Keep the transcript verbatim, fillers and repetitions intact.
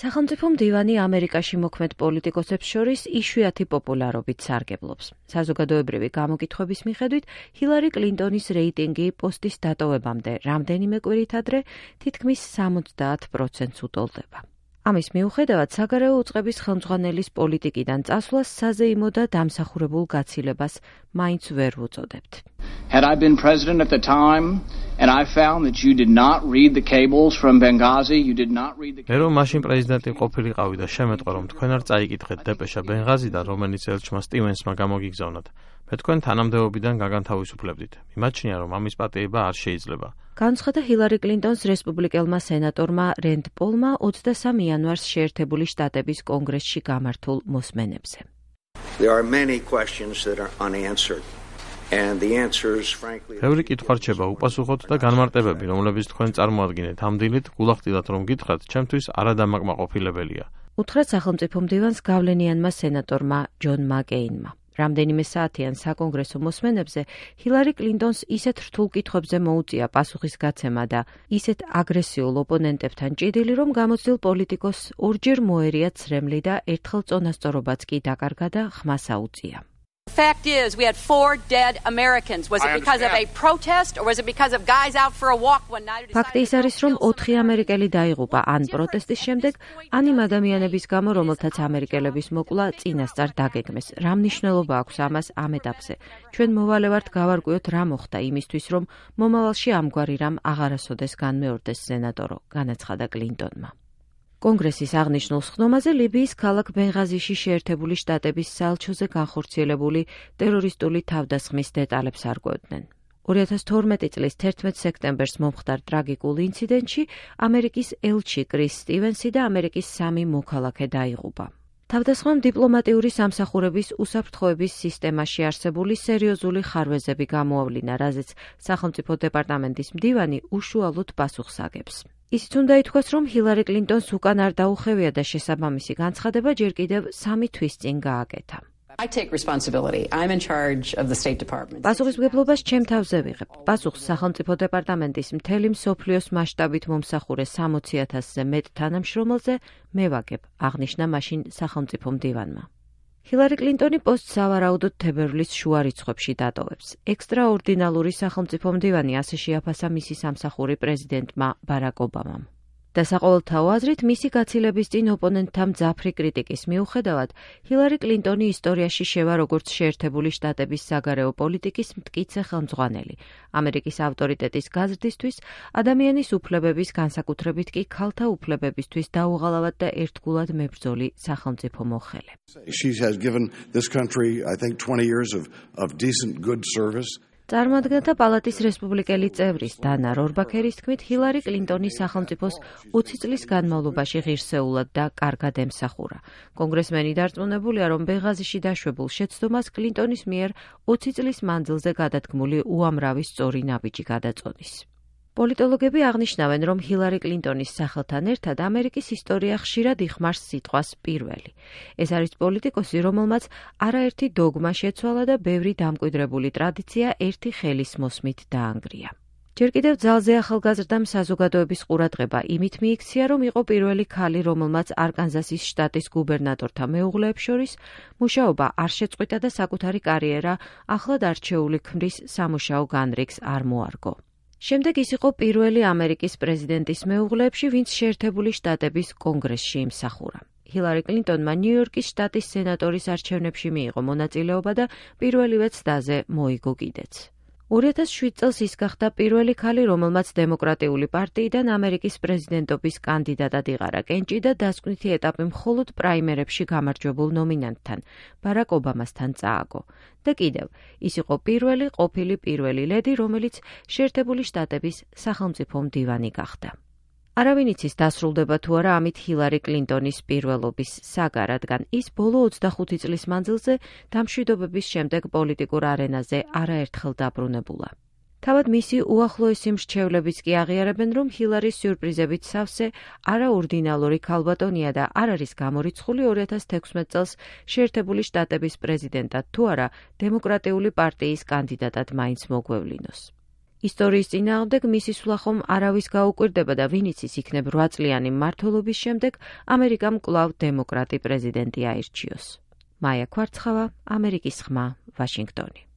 სახელმწიფო მდივანი ამერიკაში მოქმედ პოლიტიკოსებს შორის იშვიათი პოპულარობით სარგებლობს. საზოგადოებრივი გამოკითხვების მიხედვით ჰილარი კლინტონის რეიტინგი პოსტის დატოვებამდე რამდენიმე კვირით ადრე თითქმის სამოცდაათ პროცენტს უტოლდება. ამის მიუხედავად საგარეო უწყების ხელმძღვანელის პოლიტიკიდან წასვლას საზეიმო და დამსახურებულ გაცილებას მაინც ვერ ვუწოდებთ. Had I been president at the time and I found that you did not read the cables from Benghazi, you did not read the cables. Რომ მაშინ პრეზიდენტი ყოფილიყავი და შემეტყვა რომ თქვენ არ წაიკითხეთ დეპეშა ბენღაზიდან, რომელიც ელჩმა სტივენსმა გამოგიგზავნათ, მე თქვენ თანამდებობიდან გაგანთავისუფლებდით. მიმაჩნია რომ ამის პატიება არ შეიძლება. განცხადა ჰილარი კლინტონს რესპუბლიკელმა სენატორმა რენდ პოლმა ოცდასამი იანვარს შეერთებული შტატების კონგრესში გამართულ მოსმენებზე. There are many questions that are unanswered. And the answers frankly ბევრი კითხვა რჩება უპასუხოთ და განმარტებები, რომლებიც თქვენ წარმოადგენთ ამ დილით, გულახდილად რომ გითხრათ, ჩემთვის არადამაკმაყოფილებელია. უთხრა სახელმწიფო მდივანს გავლენიანმა სენატორმა ჯონ მაკეინმა. რამდენიმე საათიან საკონგრესო მოსმენებზე ჰილარი კლინტონს ისეთ რთულ კითხვებზე მოუწია პასუხის გაცემა და ისეთ აგრესიულ ოპონენტებთან ჭიდილი, რომ გამოცდილ პოლიტიკოსს ორჯერ მოერია ცრემლი და ერთხელ წონასწორობაც კი დაკარგა და ხმას აუწია. The fact is, we had four dead Americans. Was it because of a protest or was it because of guys out for a walk one night? Ფაქტი ის არის, რომ ოთხი ამერიკელი დაიღუპა ან პროტესტის შემდეგ, ან იმ ადამიანების გამო, რომელთაც ამერიკელების მოკლა წინასწარ დაგეგმეს. რა მნიშვნელობა აქვს ამას ამ ეტაპზე? ჩვენ მოვალე ვართ გავარკვიოთ რა მოხდა იმისთვის, რომ მომავალში ამგვარი რამ აღარასოდეს განმეორდეს, სენატორო, განაცხადა კლინტონმა. კონგრესის აღნიშნულ სხდომაზე ლიბიის ქალაქ ბენღაზიში შეერთებული შტატების საელჩოზე განხორციელებული ტერორისტული თავდასხმის დეტალებს არკვევდნენ. ორი ათას თორმეტი წლის თერთმეტ სექტემბერს მომხდარ ტრაგიკულ ინციდენტში ამერიკის ელჩი კრის სტივენსი და ამერიკის სამი მოქალაქე დაიღუპა. თავდასხმამ დიპლომატიური სამსახურების უსაფრთხოების სისტემაში არსებული სერიოზული ხარვეზები გამოავლინა, რაზეც სახელმწიფო დეპარტამენტის მდივანი უშუალოდ პასუხს აგებს. ისიც უნდა ითქვას, რომ ჰილარი კლინტონს უკან არ დაუხევია და შესაბამისი განცხადება ჯერ კიდევ სამი თვის წინ გააკეთა. I take responsibility. I'm in charge of the State Department. პასუხისმგებლობას ჩემ თავზე ვიღებ. პასუხს სახელმწიფო დეპარტამენტის მთელი მსოფლიოს მასშტაბით მომსახურე სამოცი ათასზე მეტ თანამშრომელზე მე ვაგებ, აღნიშნა მაშინ სახელმწიფო მდივანმა. ჰილარი კლინტონი პოსტს სავარაუდოდ თებერვლის შუა რიცხვებში დატოვებს. ექსტრაორდინალური სახელმწიფო მდივანი ასე შეაფასა მისი სამსახური პრეზიდენტმა ბარაკ ობამამ. და საყოველთაო აზრით მისი გაცილების წინ ოპონენტთა მძაფრი კრიტიკის მიუხედავად, ჰილარი კლინტონი ისტორიაში შევა როგორც შეერთებული შტატების საგარეო პოლიტიკის მტკიცე ხელმძღვანელი, ამერიკის ავტორიტეტის გაზრდისთვის, ადამიანის უფლებების, განსაკუთრებით კი ქალთა უფლებებისთვის დაუღალავად და ერთგულად მებრძოლი სახელმწიფო მოხელე. She has given this country, I think, twenty years of of decent good service. წარმოადგენდა პალატის რესპუბლიკელი წევრის დანა რორბაქერის თქმით, ჰილარი კლინტონი სახელმწიფოს ოცი წლის განმავლობაში ღირსეულად და კარგად ემსახურა. კონგრესმენი დარწმუნებულია, რომ ბენღაზიში დაშვებულ შეცდომას კლინტონის მიერ ოცი წლის მანძილზე გადადგმული უამრავი სწორი ნაბიჯი გადაწონის. პოლიტოლოგები აღნიშნავენ, რომ ჰილარი კლინტონის სახელთან ერთად ამერიკის ისტორია ხშირად იხმარს სიტყვას პირველი. ეს არის პოლიტიკოსი, რომელმაც არაერთი დოგმა შეცვალა და ბევრი დამკვიდრებული ტრადიცია ერთი ხელის მოსმით დაანგრია. ჯერ კიდევ ძალზე ახალგაზრდამ საზოგადოების ყურადღება იმით მიიქცია, რომ იყო პირველი ქალი, რომელმაც არკანზასის შტატის გუბერნატორთა მეუღლეებს შორის მუშაობა არ შეწყვიტა და საკუთარი კარიერა ახლად არჩეული ქმრის სამუშაო განრიგს არ მოარგო. შემდეგ ის იყო პირველი ამერიკის პრეზიდენტის მეუღლეებში, ვინც შეერთებული შტატების კონგრესში იმსახურა. ჰილარი კლინტონმა ნიუ-იორკის შტატის სენატორის არჩევნებში მიიღო მონაწილეობა და პირველივე ცდაზე მოიგო კიდეც. ორი ათას შვიდ წელს ის გახდა პირველი ქალი, რომელმაც დემოკრატიული პარტიიდან ამერიკის პრეზიდენტობის კანდიდატად იღარა კენჭი და დასკვნითი ეტაპი მხოლოდ პრაიმერებში გამარჯვებულ ნომინანტთან, ბარაკ ობამასთან წააგო. და კიდევ, ის იყო პირველი ყოფილი პირველი ლედი, რომელიც შეერთებული შტატების სახელმწიფო მდივანი გახდა. არავინ იცის დასრულდება თუ არა ამით ჰილარი კლინტონის პირველობის საგა, რადგან ის ბოლო ოცდახუთი წლის მანძილზე დამშვიდობების შემდეგ პოლიტიკურ არენაზე არაერთხელ დაბრუნებულა. თავად მისი უახლოესი მრჩევლებიც კი აღიარებენ, რომ ჰილარის სიურპრიზებით სავსე არაორდინალური ქალბატონია და არ არის გამორიცხული ორი ათას თექვსმეტ წელს შეერთებული შტატების პრეზიდენტად თუ არა დემოკრატიული პარტიის კანდიდატად მაინც მოგვევლინოს. ისტორიის წინააღმდეგ მისი სვლა ხომ არავის გაუკვირდება და ვინ იცის იქნებ რვა წლიანი მმართველობის შემდეგ ამერიკამ კვლავ დემოკრატი პრეზიდენტი აირჩიოს. მაია ქვარცხავა, ამერიკის ხმა, ვაშინგტონი.